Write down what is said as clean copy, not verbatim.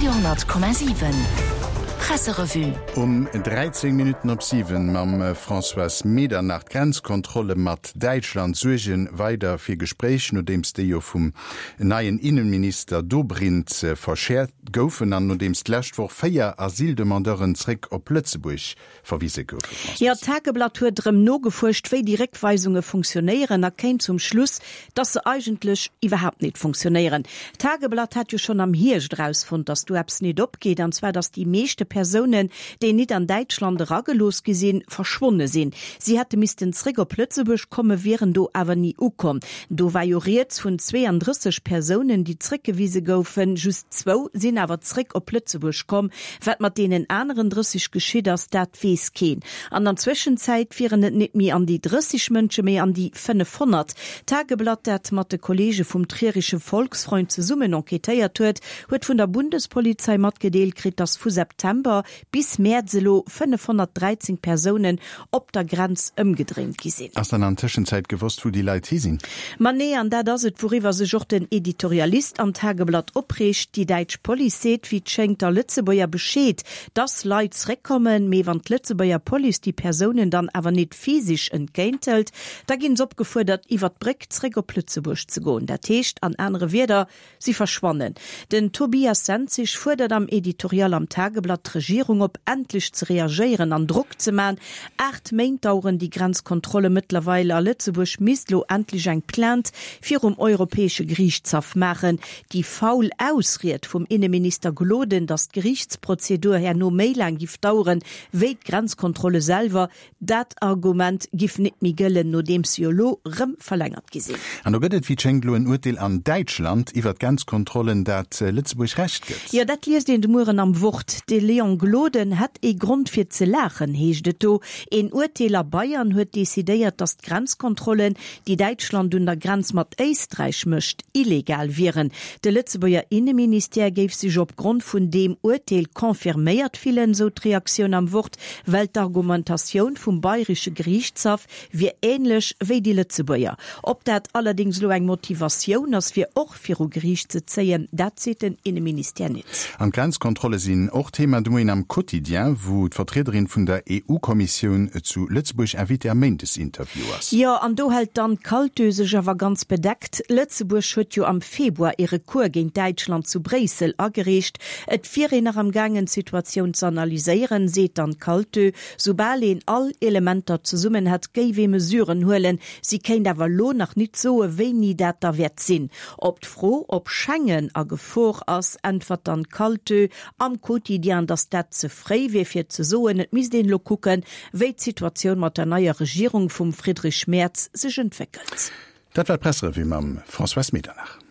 Radio 10,7 Presserevue. Um 13 Minutten op 7 mam Françoise Medernach. D'Grenzkontrolle mat Däitschland suerge weider fir Gespréich, nodeems déi jo vum neien Innenminister Dobrindt verschäerft goufen an nodeems d'lescht Woch 4 Asyldemandeuren zréck op Lëtzebuerg verwise goufen. Jo, d'Tageblatt huet erëm nogefuerscht, wéi déi Réckweisunge funktionéieren a kéim zum Schluss, dass se eigentlech iwwerhaapt nit funktionéieren. D'Tageblatt hat jo schonn am Hierscht erausfonnt, dass do eppes nit opgeet, an zwar, dass déi meeschte Persounen, déi nit an Däitschland eragelooss gi sinn, verschwonne sinn. Si hätte missten zréck op Lëtzebuerg kommen, wieren do awer ni ukomm. Do war jo rieds vun 32 Persounen, déi zréckgewise goufen. Just zwou sinn awer zréck op Lëtzebuerg komm. Wat mat deenen aneren 30 geschitt ass, dat weess keen. An an Zwëschenzäit wieren et nit méi an déi 30 Mënsche, mee an déi 500. D'Tageblatt, dat mat de Kolleege vum Trierische Volksfreund zesummen enquêtéiert huet, huet vun der Bundespolizei matgedeelt kritt, datt vu September bis Mäerz elo 513 Persounen op der Grenz ëmgedréint gi sinn. Ass dann an Tëschenzäit gewosst, wou déi Leit hi sinn? Ma nee, an dat ass et, wouriwwer sech och den Editorialist am Tageblatt opreegt. Déi däitsch Police seet, wéi et schéngt, der Lëtzebuerger Bescheed, dass Leit zréckkommen, mee wann d'Lëtzebuerger Police déi Persounen dann awer nit physisch entgéinthëlt, da ginn se opgefuerdert, iwwer d'Bréck zréck op Lëtzebuerg ze goen. Dat heescht an anere Wierder, Si verschwannen. Den Tobias Senzig fuerdert am Editorial am Tageblatt d'Regierung op, endlech ze reagéieren an Drock ze man. 8 Méint daueren déi Grenzkontrolle mëttlerweil a Lëtzebuerg misst lo endlech eng Plainte virum Europäesche Geriichtshaff maachen. Déi faul Ausried vum Inneminister Gloden, datt d'Geriichtsprozedur herno méi laang giff daueren wéi d'Grenzkontrolle selwer, Dat Argument giff nit méi gëllen, nodeems se jo lo rëm verlängert gi sinn. An do gëtt et wéi et schéngt elo en Urteel an Däitschland iwwert d'Grenzkontrollen, dat Lëtzebuerg Recht gëtt. Jo, dat liest een de Mueren am Wort. De Léon Gloden hätt ee Grond fir ze laachen, heescht et do. Een Urteel a Bayern huet decidéiert, datt d'Grenzkontrollen, déi Däitschland un der Grenz mat Éisträich mécht, illegal wieren. De Lëtzebuerger Inneministère géif sech op Grond vun deem Urteel confirméiert fillen, sou d'Reaktioun am Wort. Well d'Argumentatioun vum bayresche Geriichtshaff wier änlech wéi déi Lëtzebuerger. Ob dat allerdéngs elo eng Motivatioun ass, fir och viru Geriicht ze zéien, dat seet den Inneministère nit. An d'Grenzkontrolle sinn och Thema de Moien am Quotidien, wou d'Vertriederin vun der EU-Kommissioun zu Lëtzebuerg Invitée am Méindesinterview ass. Jo, an do hält d'Anne Kaltö sech awer ganz bedeckt. Lëtzebuerg huet jo am Februar ee Recours géint Däitschland zu Bréissel agereecht. Et wier een nach am gaangen d'Situatioun ze analyséieren, seet d'Anne Kaltö. Soubal een all Elementer zesummen hätt, géif ee Mesuren huelen. Si kéint awer elo nach nit soe wéini dat da wäert sinn. Op d'Fro, ob Schengen a Gefor ass, äntwert d'Anne Kaltö am Quotidien, datt dat ze fréi wier fir ze soen. Et misst een elo kucken, wéi d'Situatioun mat der neier Regierung vum Friedrich Merz sech entwéckelt. Dat war d'Presserevue mam Françoise Medernach.